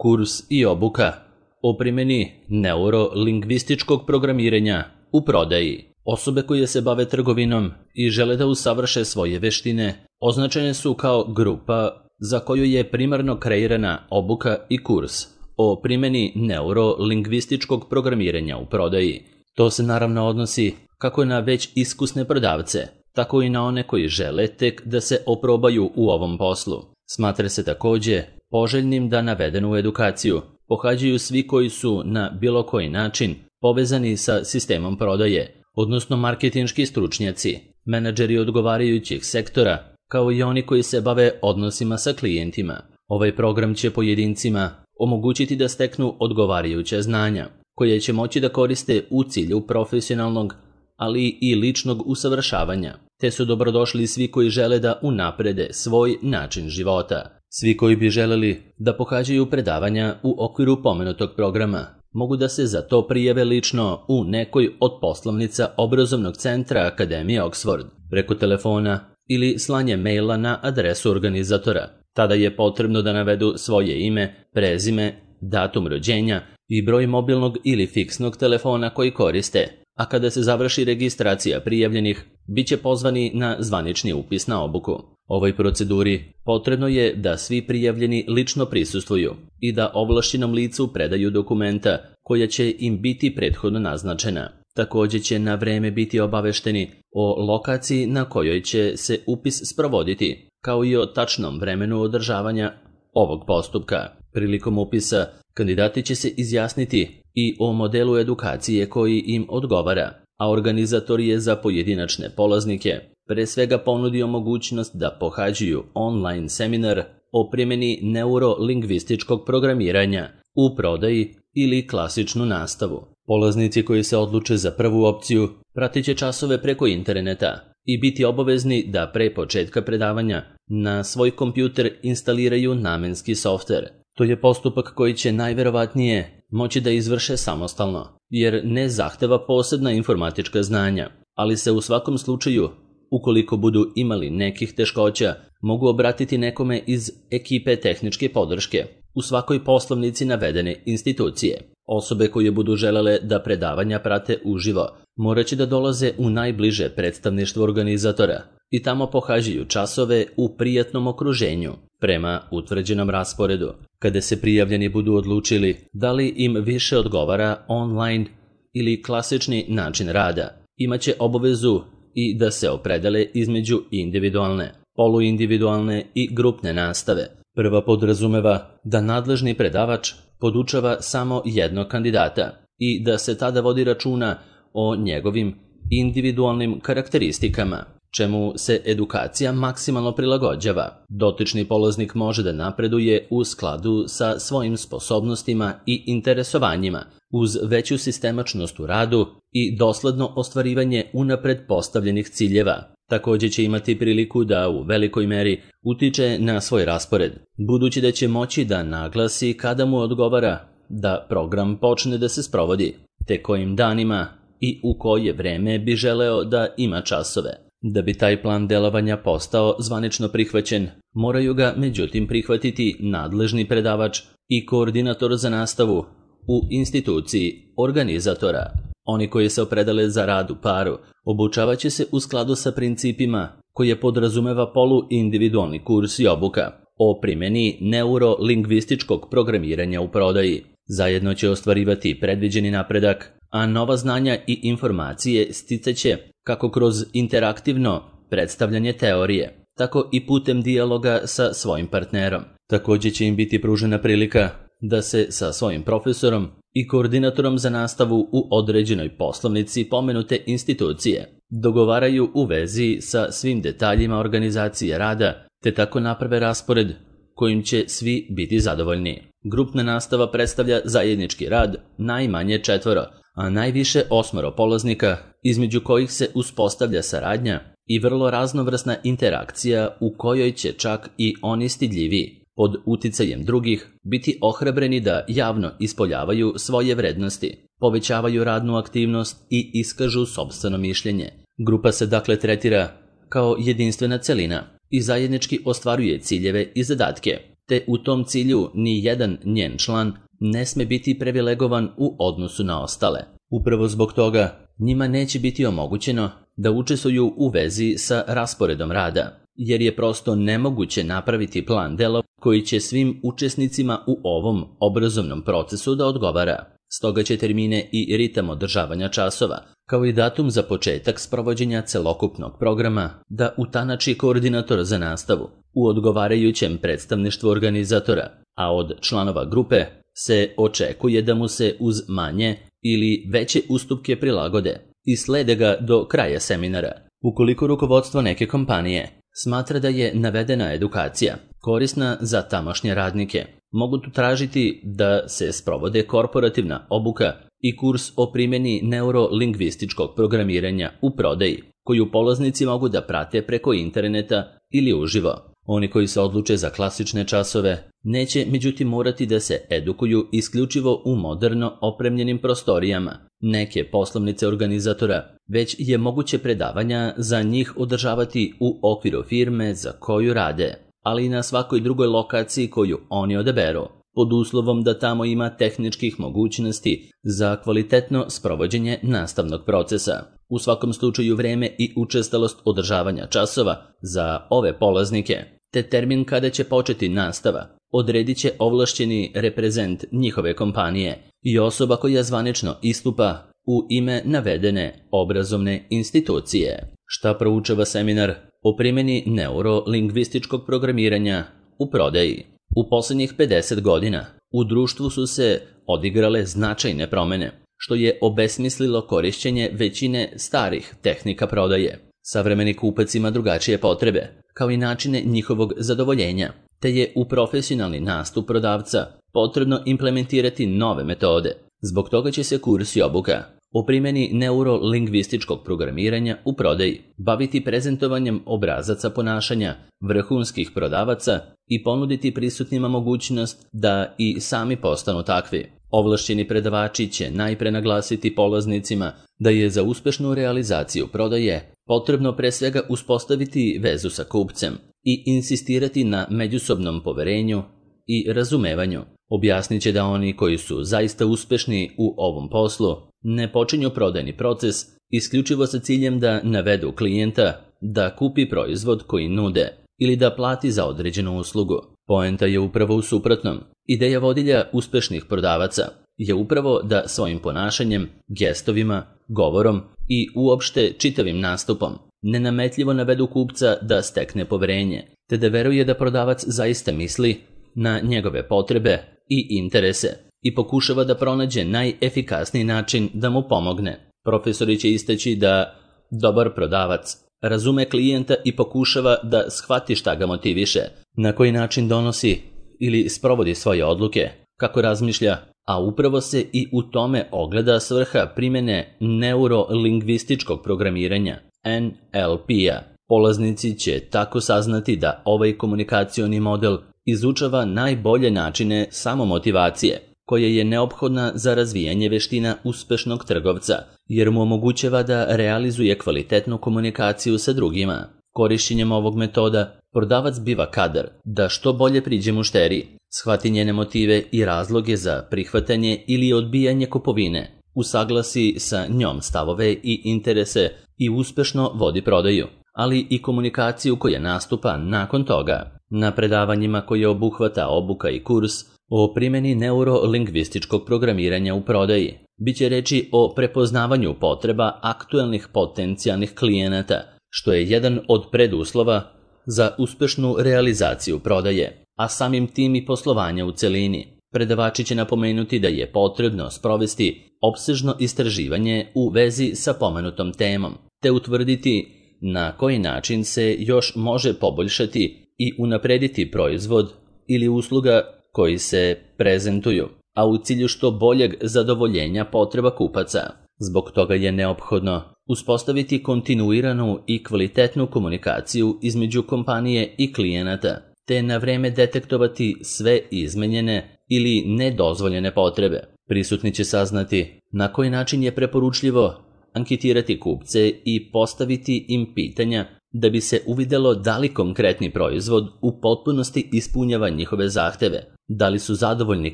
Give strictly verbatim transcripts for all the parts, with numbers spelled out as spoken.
kurs i obuka o primjeni neurolingvističkog programiranja u prodaji. Osobe koje se bave trgovinom i žele da usavrše svoje veštine označene su kao grupa za koju je primarno kreirana obuka i kurs o primjeni neurolingvističkog programiranja u prodaji. To se naravno odnosi kako na već iskusne prodavce, tako i na one koji žele tek da se oprobaju u ovom poslu. Smatra se također poželjnim da navedenu edukaciju pohađaju svi koji su na bilo koji način povezani sa sistemom prodaje, odnosno marketinški stručnjaci, menadžeri odgovarajućih sektora, kao i oni koji se bave odnosima sa klijentima. Ovaj program će pojedincima omogućiti da steknu odgovarajuća znanja, koje će moći da koriste u cilju profesionalnog, ali i ličnog usavršavanja, te su dobrodošli svi koji žele da unaprede svoj način života. Svi koji bi želeli da pohađaju predavanja u okviru pomenutog programa mogu da se za to prijave lično u nekoj od poslovnica obrazovnog centra Akademije Oxford, preko telefona ili slanje maila na adresu organizatora. Tada je potrebno da navedu svoje ime, prezime, datum rođenja i broj mobilnog ili fiksnog telefona koji koriste, a kada se završi registracija prijavljenih, bit će pozvani na zvanični upis na obuku. Ovoj proceduri potrebno je da svi prijavljeni lično prisustvuju i da ovlašćenom licu predaju dokumenta koja će im biti prethodno naznačena. Također će na vreme biti obavešteni o lokaciji na kojoj će se upis sprovoditi, kao i o tačnom vremenu održavanja ovog postupka. Prilikom upisa kandidati će se izjasniti i o modelu edukacije koji im odgovara, a organizator je za pojedinačne polaznike pre svega ponudio mogućnost da pohađaju online seminar o primjeni neurolingvističkog programiranja u prodaji ili klasičnu nastavu. Polaznici koji se odluče za prvu opciju pratit će časove preko interneta i biti obavezni da pre početka predavanja na svoj kompjuter instaliraju namenski softver. To je postupak koji će najverovatnije moći da izvrše samostalno, jer ne zahteva posebna informatička znanja, ali se u svakom slučaju, ukoliko budu imali nekih teškoća, mogu obratiti nekome iz ekipe tehničke podrške u svakoj poslovnici navedene institucije. Osobe koje budu želele da predavanja prate uživo morat će da dolaze u najbliže predstavništvo organizatora i tamo pohađaju časove u prijatnom okruženju prema utvrđenom rasporedu. Kada se prijavljeni budu odlučili da li im više odgovara online ili klasični način rada, imaće obavezu i da se opredele između individualne, poluindividualne i grupne nastave. Prva podrazumeva da nadležni predavač podučava samo jednog kandidata i da se tada vodi računa o njegovim individualnim karakteristikama, čemu se edukacija maksimalno prilagođava. Dotični polaznik može da napreduje u skladu sa svojim sposobnostima i interesovanjima, uz veću sistemačnost u radu i dosledno ostvarivanje unapred postavljenih ciljeva. Također će imati priliku da u velikoj meri utiče na svoj raspored, budući da će moći da naglasi kada mu odgovara da program počne da se sprovodi, te kojim danima i u koje vreme bi želeo da ima časove. Da bi taj plan delovanja postao zvanično prihvaćen, moraju ga međutim prihvatiti nadležni predavač i koordinator za nastavu u instituciji organizatora. Oni koji se opredele za rad u paru obučavat će se u skladu sa principima koje podrazumeva poluindividualni kurs i obuka o primjeni neurolingvističkog programiranja u prodaji. Zajedno će ostvarivati predviđeni napredak, a nova znanja i informacije sticaće kako kroz interaktivno predstavljanje teorije, tako i putem dijaloga sa svojim partnerom. Također će im biti pružena prilika da se sa svojim profesorom i koordinatorom za nastavu u određenoj poslovnici pomenute institucije dogovaraju u vezi sa svim detaljima organizacije rada, te tako naprave raspored kojim će svi biti zadovoljni. Grupna nastava predstavlja zajednički rad najmanje četvoro, a najviše osmoro polaznika, između kojih se uspostavlja saradnja i vrlo raznovrsna interakcija u kojoj će čak i oni stidljiviji pod uticajem drugih biti ohrabreni da javno ispoljavaju svoje vrednosti, povećavaju radnu aktivnost i iskažu sopstveno mišljenje. Grupa se dakle tretira kao jedinstvena celina i zajednički ostvaruje ciljeve i zadatke, te u tom cilju ni jedan njen član ne sme biti privilegovan u odnosu na ostale. Upravo zbog toga njima neće biti omogućeno da učestvuju u vezi sa rasporedom rada, jer je prosto nemoguće napraviti plan dela koji će svim učesnicima u ovom obrazovnom procesu da odgovara. Stoga će termine i ritam održavanja časova, kao i datum za početak sprovođenja celokupnog programa, da utanači koordinator za nastavu u odgovarajućem predstavništvu organizatora, a od članova grupe se očekuje da mu se uz manje ili veće ustupke prilagode i slede ga do kraja seminara. Ukoliko rukovodstvo neke kompanije smatra da je navedena edukacija korisna za tamošnje radnike, mogu tu tražiti da se sprovode korporativna obuka i kurs o primjeni neurolingvističkog programiranja u prodaji, koju polaznici mogu da prate preko interneta ili uživo. Oni koji se odluče za klasične časove neće međutim morati da se edukuju isključivo u moderno opremljenim prostorijama neke poslovnice organizatora, već je moguće predavanja za njih održavati u okviru firme za koju rade, ali i na svakoj drugoj lokaciji koju oni odaberu, pod uslovom da tamo ima tehničkih mogućnosti za kvalitetno sprovođenje nastavnog procesa. U svakom slučaju vreme i učestalost održavanja časova za ove polaznike, te termin kada će početi nastava, odredit će ovlašćeni reprezent njihove kompanije i osoba koja zvanično istupa u ime navedene obrazovne institucije. Šta proučava seminar o primjeni neurolingvističkog programiranja u prodaji? U posljednjih pedeset godina u društvu su se odigrale značajne promjene, što je obesmislilo korišćenje većine starih tehnika prodaje. Savremeni kupac ima drugačije potrebe, kao i načine njihovog zadovoljenja, te je u profesionalni nastup prodavca potrebno implementirati nove metode. Zbog toga će se kurs i obuka o primjeni neurolingvističkog programiranja u prodaji baviti prezentovanjem obrazaca ponašanja vrhunskih prodavaca i ponuditi prisutnima mogućnost da i sami postanu takvi. Ovlašćeni predavači će najpre naglasiti polaznicima da je za uspešnu realizaciju prodaje potrebno pre svega uspostaviti vezu sa kupcem i insistirati na međusobnom poverenju i razumevanju. Objasnit će da oni koji su zaista uspešni u ovom poslu ne počinju prodajni proces isključivo sa ciljem da navedu klijenta da kupi proizvod koji nude ili da plati za određenu uslugu. Poenta je upravo u suprotnom. Ideja vodilja uspešnih prodavaca je upravo da svojim ponašanjem, gestovima, govorom i uopšte čitavim nastupom nenametljivo navedu kupca da stekne poverenje, te da veruje da prodavac zaista misli na njegove potrebe i interese i pokušava da pronađe najefikasniji način da mu pomogne. Profesori će istaći da dobar prodavac razume klijenta i pokušava da shvati šta ga motiviše, na koji način donosi ili sprovodi svoje odluke, kako razmišlja, a upravo se i u tome ogleda svrha primjene neurolingvističkog programiranja, N L P-a. Polaznici će tako saznati da ovaj komunikacioni model izučava najbolje načine samomotivacije, koja je neophodna za razvijanje veština uspešnog trgovca, jer mu omogućava da realizuje kvalitetnu komunikaciju sa drugima. Korišćenjem ovog metoda, prodavac biva kadar da što bolje priđe mušteriji, shvati njene motive i razloge za prihvatanje ili odbijanje kupovine, usaglasi sa njom stavove i interese i uspešno vodi prodaju, ali i komunikaciju koja nastupa nakon toga. Na predavanjima koje obuhvata obuka i kurs o primjeni neurolingvističkog programiranja u prodaji biće reči o prepoznavanju potreba aktuelnih potencijalnih klijenata, što je jedan od preduslova za uspešnu realizaciju prodaje, a samim tim i poslovanja u celini. Predavači će napomenuti da je potrebno sprovesti opsežno istraživanje u vezi sa pomenutom temom, te utvrditi na koji način se još može poboljšati i unaprediti proizvod ili usluga koji se prezentuju, a u cilju što boljeg zadovoljenja potreba kupaca. Zbog toga je neophodno uspostaviti kontinuiranu i kvalitetnu komunikaciju između kompanije i klijenata, te na vreme detektovati sve izmenjene ili nedozvoljene potrebe. Prisutni će saznati na koji način je preporučljivo anketirati kupce i postaviti im pitanja da bi se uvidjelo da li konkretni proizvod u potpunosti ispunjava njihove zahteve, da li su zadovoljni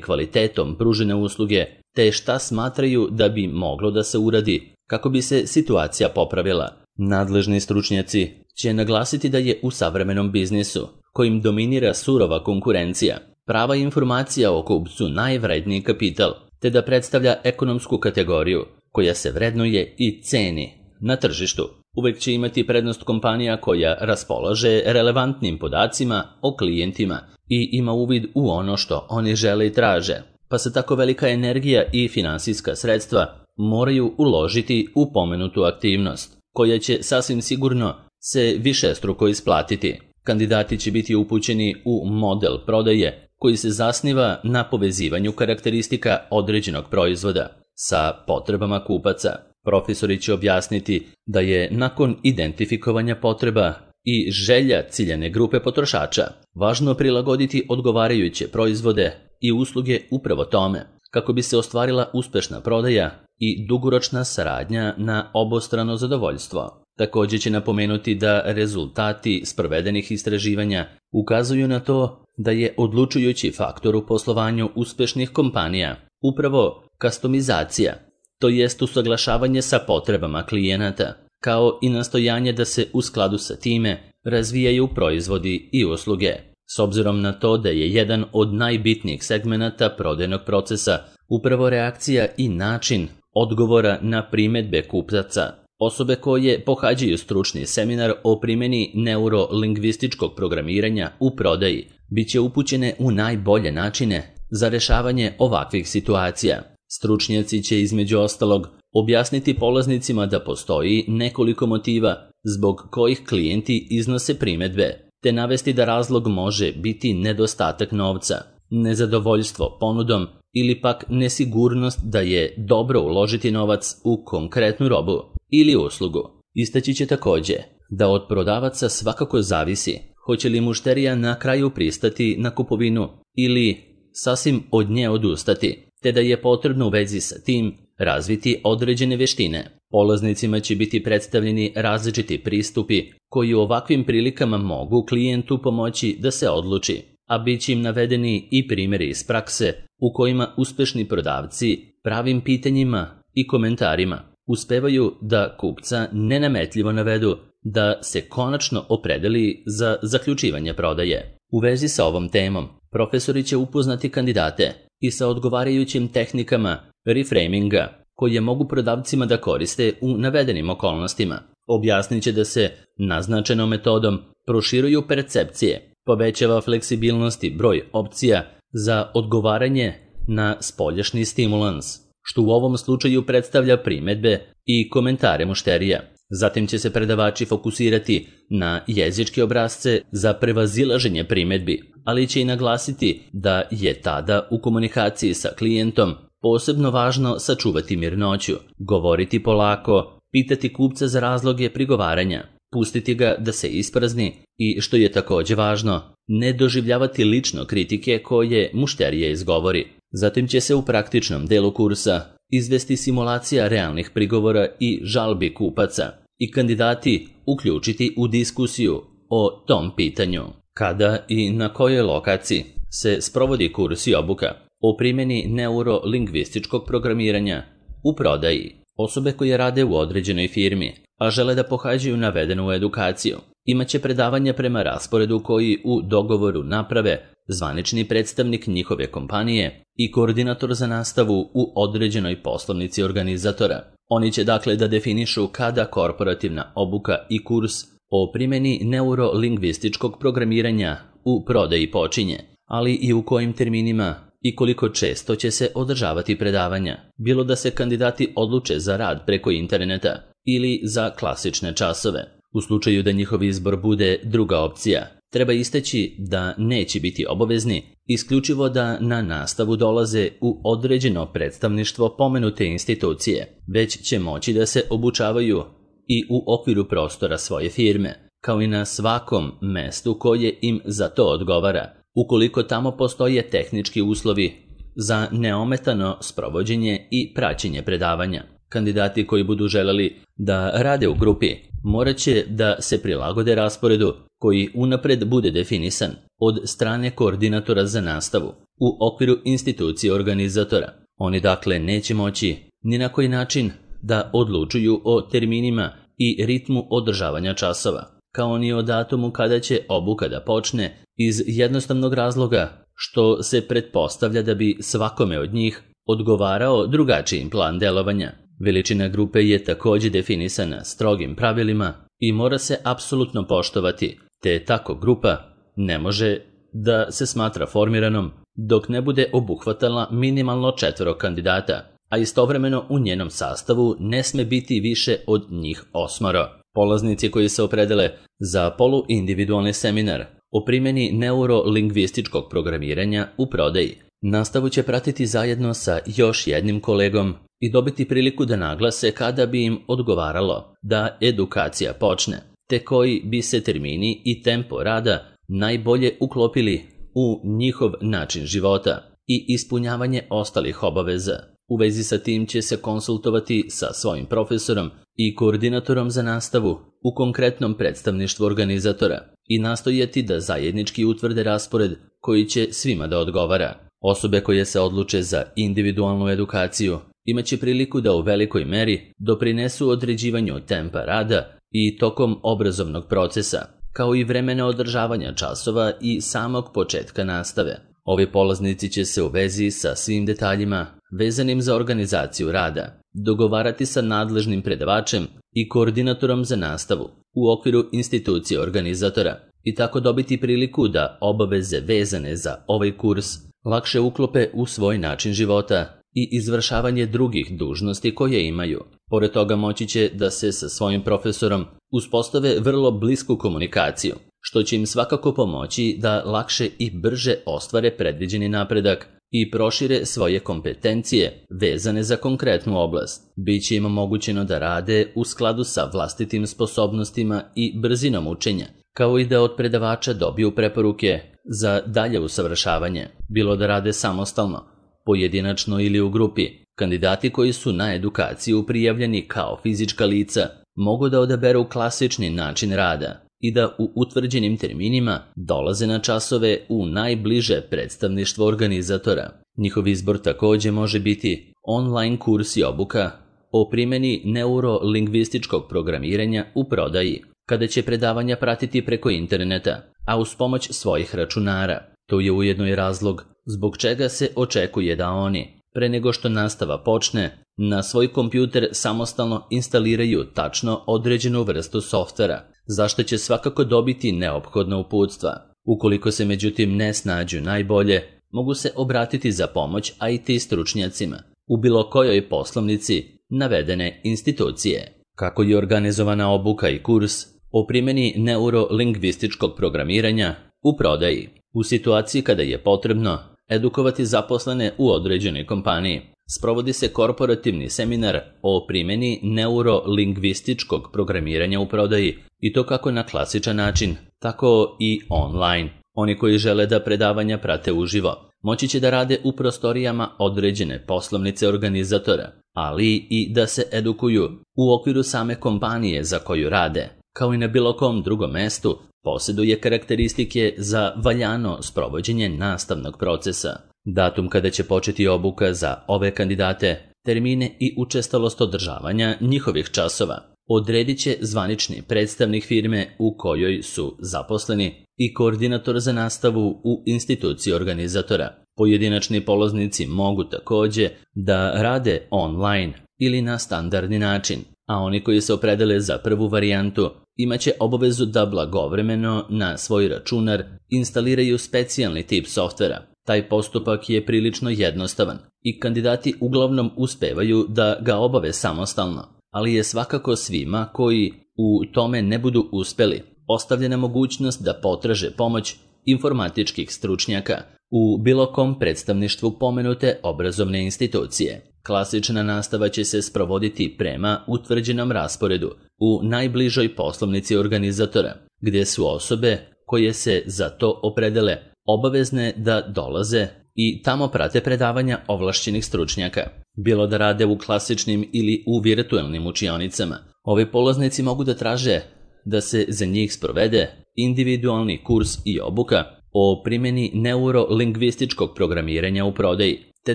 kvalitetom pružene usluge, te šta smatraju da bi moglo da se uradi kako bi se situacija popravila. Nadležni stručnjaci će naglasiti da je u savremenom biznisu, kojim dominira surova konkurencija, prava informacija o kupcu najvredniji kapital, te da predstavlja ekonomsku kategoriju koja se vrednuje i ceni na tržištu. Uvek će imati prednost kompanija koja raspolaže relevantnim podacima o klijentima i ima uvid u ono što oni žele i traže, pa se tako velika energija i finansijska sredstva moraju uložiti u pomenutu aktivnost, koja će sasvim sigurno se višestruko isplatiti. Kandidati će biti upućeni u model prodaje koji se zasniva na povezivanju karakteristika određenog proizvoda sa potrebama kupaca. Profesori će objasniti da je nakon identifikovanja potreba i želja ciljane grupe potrošača važno prilagoditi odgovarajuće proizvode i usluge upravo tome, kako bi se ostvarila uspešna prodaja i dugoročna saradnja na obostrano zadovoljstvo. Također će napomenuti da rezultati sprovedenih istraživanja ukazuju na to da je odlučujući faktor u poslovanju uspešnih kompanija upravo kastomizacija, to jest usaglašavanje sa potrebama klijenata, kao i nastojanje da se u skladu sa time razvijaju proizvodi i usluge. S obzirom na to da je jedan od najbitnijih segmenata prodajnog procesa upravo reakcija i način odgovora na primedbe kupaca, osobe koje pohađaju stručni seminar o primjeni neurolingvističkog programiranja u prodaji bit će upućene u najbolje načine za rešavanje ovakvih situacija. Stručnjaci će između ostalog objasniti polaznicima da postoji nekoliko motiva zbog kojih klijenti iznose primedbe, te navesti da razlog može biti nedostatak novca, nezadovoljstvo ponudom ili pak nesigurnost da je dobro uložiti novac u konkretnu robu ili uslugu. Istaći će također da od prodavaca svakako zavisi hoće li mušterija na kraju pristati na kupovinu ili sasvim od nje odustati, te da je potrebno u vezi sa tim razviti određene vještine. Polaznicima će biti predstavljeni različiti pristupi koji u ovakvim prilikama mogu klijentu pomoći da se odluči, a bit će im navedeni i primjeri iz prakse u kojima uspešni prodavci pravim pitanjima i komentarima uspevaju da kupca nenametljivo navedu da se konačno opredeli za zaključivanje prodaje. U vezi sa ovom temom, profesori će upoznati kandidate i sa odgovarajućim tehnikama reframinga koje mogu prodavcima da koriste u navedenim okolnostima. Objasnit će da se naznačenom metodom proširuju percepcije, povećava fleksibilnost i broj opcija za odgovaranje na spoljašnji stimulans, što u ovom slučaju predstavlja primedbe i komentare mušterija. Zatim će se predavači fokusirati na jezičke obrasce za prevazilaženje primedbi, ali će i naglasiti da je tada u komunikaciji sa klijentom posebno važno sačuvati mirnoću, govoriti polako, pitati kupca za razloge prigovaranja, pustiti ga da se isprazni i, što je također važno, ne doživljavati lično kritike koje mušterija izgovori. Zatim će se u praktičnom delu kursa izvesti simulacija realnih prigovora i žalbi kupaca i kandidati uključiti u diskusiju o tom pitanju. Kada i na kojoj lokaciji se sprovodi kurs i obuka o primjeni neurolingvističkog programiranja u prodaji? Osobe koje rade u određenoj firmi, a žele da pohađaju navedenu edukaciju, imaće predavanja prema rasporedu koji u dogovoru naprave zvanični predstavnik njihove kompanije i koordinator za nastavu u određenoj poslovnici organizatora. Oni će dakle da definišu kada korporativna obuka i kurs o primjeni neurolingvističkog programiranja u prodaji počinje, ali i u kojim terminima i koliko često će se održavati predavanja, bilo da se kandidati odluče za rad preko interneta ili za klasične časove. U slučaju da njihov izbor bude druga opcija, treba istaći da neće biti obavezni, isključivo da na nastavu dolaze u određeno predstavništvo pomenute institucije, već će moći da se obučavaju i u okviru prostora svoje firme, kao i na svakom mestu koje im za to odgovara, ukoliko tamo postoje tehnički uslovi za neometano sprovođenje i praćenje predavanja. Kandidati koji budu želeli da rade u grupi morat će da se prilagode rasporedu koji unapred bude definisan od strane koordinatora za nastavu u okviru institucije organizatora. Oni dakle neće moći ni na koji način da odlučuju o terminima i ritmu održavanja časova, kao ni o datumu kada će obuka da počne, iz jednostavnog razloga što se pretpostavlja da bi svakome od njih odgovarao drugačiji plan delovanja. Veličina grupe je također definisana strogim pravilima i mora se apsolutno poštovati, te tako grupa ne može da se smatra formiranom dok ne bude obuhvatala minimalno četvero kandidata, a istovremeno u njenom sastavu ne sme biti više od njih osmoro. Polaznici koji se opredele za poluindividualni seminar o primjeni neurolingvističkog programiranja u prodaji nastavu će pratiti zajedno sa još jednim kolegom i dobiti priliku da naglase kada bi im odgovaralo da edukacija počne, te koji bi se termini i tempo rada najbolje uklopili u njihov način života i ispunjavanje ostalih obaveza. U vezi sa tim će se konsultovati sa svojim profesorom i koordinatorom za nastavu u konkretnom predstavništvu organizatora i nastojati da zajednički utvrde raspored koji će svima da odgovara. Osobe koje se odluče za individualnu edukaciju imaće priliku da u velikoj meri doprinesu određivanju tempa rada i tokom obrazovnog procesa, kao i vremena održavanja časova i samog početka nastave. Ovi polaznici će se u vezi sa svim detaljima vezanim za organizaciju rada dogovarati sa nadležnim predavačem i koordinatorom za nastavu u okviru institucije organizatora i tako dobiti priliku da obaveze vezane za ovaj kurs lakše uklope u svoj način života i izvršavanje drugih dužnosti koje imaju. Pored toga moći će da se sa svojim profesorom uspostave vrlo blisku komunikaciju, što će im svakako pomoći da lakše i brže ostvare predviđeni napredak i prošire svoje kompetencije vezane za konkretnu oblast. Biće im omogućeno da rade u skladu sa vlastitim sposobnostima i brzinom učenja, kao i da od predavača dobiju preporuke za dalje usavršavanje, bilo da rade samostalno, pojedinačno ili u grupi. Kandidati koji su na edukaciju prijavljeni kao fizička lica mogu da odaberu klasični način rada i da u utvrđenim terminima dolaze na časove u najbliže predstavništvo organizatora. Njihov izbor također može biti online kurs i obuka o primjeni neurolingvističkog programiranja u prodaji, kada će predavanja pratiti preko interneta, a uz pomoć svojih računara. To je ujedno i razlog zbog čega se očekuje da oni, pre nego što nastava počne, na svoj kompjuter samostalno instaliraju tačno određenu vrstu softvera, zašto će svakako dobiti neophodna uputstva. Ukoliko se međutim ne snađu najbolje, mogu se obratiti za pomoć I T stručnjacima u bilo kojoj poslovnici navedene institucije. Kako je organizovana obuka i kurs o primjeni neurolingvističkog programiranja u prodaji? U situaciji kada je potrebno edukovati zaposlene u određenoj kompaniji, sprovodi se korporativni seminar o primjeni neurolingvističkog programiranja u prodaji, i to kako na klasičan način, tako i online. Oni koji žele da predavanja prate uživo, moći će da rade u prostorijama određene poslovnice organizatora, ali i da se edukuju u okviru same kompanije za koju rade. Kao i na bilo kom drugom mestu, posjeduje karakteristike za valjano sprovođenje nastavnog procesa. Datum kada će početi obuka za ove kandidate, termine i učestalost održavanja njihovih časova odredit će zvanični predstavnik firme u kojoj su zaposleni i koordinator za nastavu u instituciji organizatora. Pojedinačni polaznici mogu također da rade online ili na standardni način, a oni koji se opredele za prvu varijantu imaće obavezu da blagovremeno na svoj računar instaliraju specijalni tip softvera. Taj postupak je prilično jednostavan i kandidati uglavnom uspevaju da ga obave samostalno, ali je svakako svima koji u tome ne budu uspeli ostavljena mogućnost da potraže pomoć informatičkih stručnjaka u bilo kom predstavništvu pomenute obrazovne institucije. Klasična nastava će se sprovoditi prema utvrđenom rasporedu u najbližoj poslovnici organizatora, gdje su osobe koje se za to opredele obavezne da dolaze i tamo prate predavanja ovlašćenih stručnjaka. Bilo da rade u klasičnim ili u virtualnim učionicama, ovi polaznici mogu da traže da se za njih sprovede individualni kurs i obuka o primjeni neurolingvističkog programiranja u prodaji, te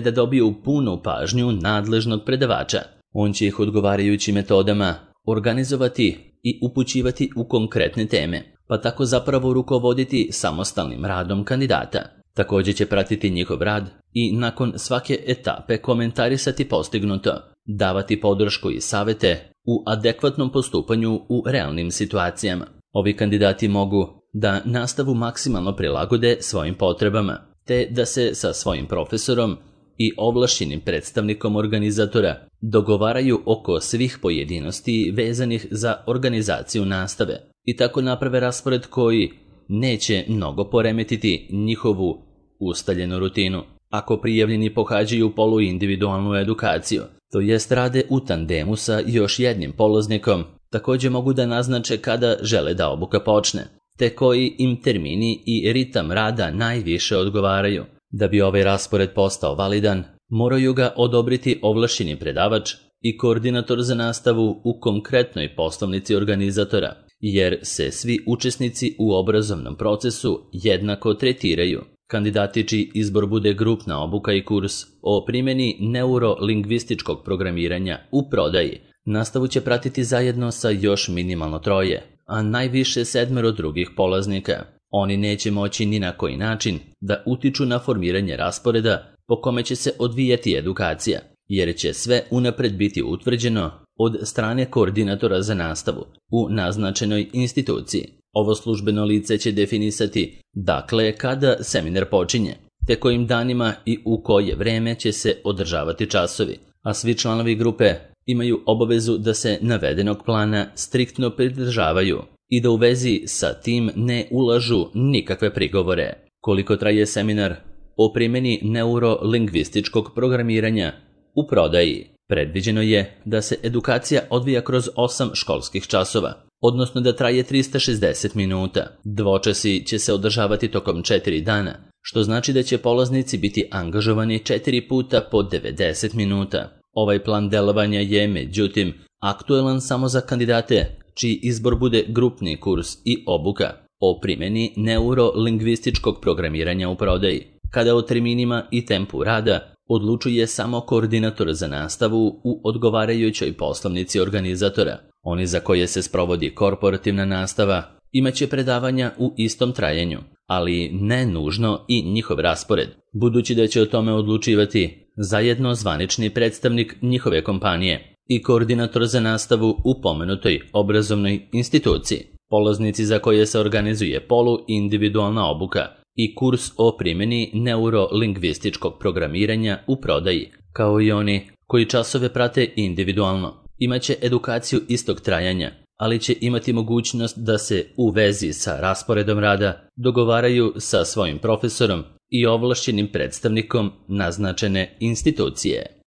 da dobiju punu pažnju nadležnog predavača. On će ih odgovarajućim metodama organizovati i upućivati u konkretne teme, pa tako zapravo rukovoditi samostalnim radom kandidata. Također će pratiti njihov rad i nakon svake etape komentarisati postignuto, davati podršku i savete u adekvatnom postupanju u realnim situacijama. Ovi kandidati mogu da nastavu maksimalno prilagode svojim potrebama, te da se sa svojim profesorom i ovlašćenim predstavnikom organizatora dogovaraju oko svih pojedinosti vezanih za organizaciju nastave i tako naprave raspored koji neće mnogo poremetiti njihovu ustaljenu rutinu. Ako prijavljeni pohađaju poluindividualnu edukaciju, to jest rade u tandemu sa još jednim polaznikom, također mogu da naznače kada žele da obuka počne, te koji im termini i ritam rada najviše odgovaraju. Da bi ovaj raspored postao validan, moraju ga odobriti ovlašćeni predavač i koordinator za nastavu u konkretnoj poslovnici organizatora, jer se svi učesnici u obrazovnom procesu jednako tretiraju. Kandidati čiji izbor bude grupna obuka i kurs o primjeni neurolingvističkog programiranja u prodaji, nastavu će pratiti zajedno sa još minimalno troje, a najviše sedmero drugih polaznika. Oni neće moći ni na koji način da utiču na formiranje rasporeda po kome će se odvijati edukacija, jer će sve unapred biti utvrđeno od strane koordinatora za nastavu u naznačenoj instituciji. Ovo službeno lice će definisati dakle kada seminar počinje, te kojim danima i u koje vreme će se održavati časovi, a svi članovi grupe imaju obavezu da se navedenog plana striktno pridržavaju i da u vezi sa tim ne ulažu nikakve prigovore. Koliko traje seminar o primjeni neurolingvističkog programiranja u prodaji? Predviđeno je da se edukacija odvija kroz osam školskih časova, odnosno da traje trista šezdeset minuta. Dvočasi će se održavati tokom četiri dana, što znači da će polaznici biti angažovani četiri puta po devedeset minuta. Ovaj plan delovanja je, međutim, aktuelan samo za kandidate čiji izbor bude grupni kurs i obuka o primjeni neurolingvističkog programiranja u prodaji, kada o terminima i tempu rada odlučuje samo koordinator za nastavu u odgovarajućoj poslovnici organizatora. Oni za koje se sprovodi korporativna nastava imaće predavanja u istom trajanju, ali ne nužno i njihov raspored, budući da će o tome odlučivati zajedno zvanični predstavnik njihove kompanije i koordinator za nastavu u pomenutoj obrazovnoj instituciji. Polaznici za koje se organizuje polu-individualna obuka i kurs o primjeni neurolingvističkog programiranja u prodaji, kao i oni koji časove prate individualno, imaće edukaciju istog trajanja, ali će imati mogućnost da se u vezi sa rasporedom rada dogovaraju sa svojim profesorom i ovlašćenim predstavnikom naznačene institucije.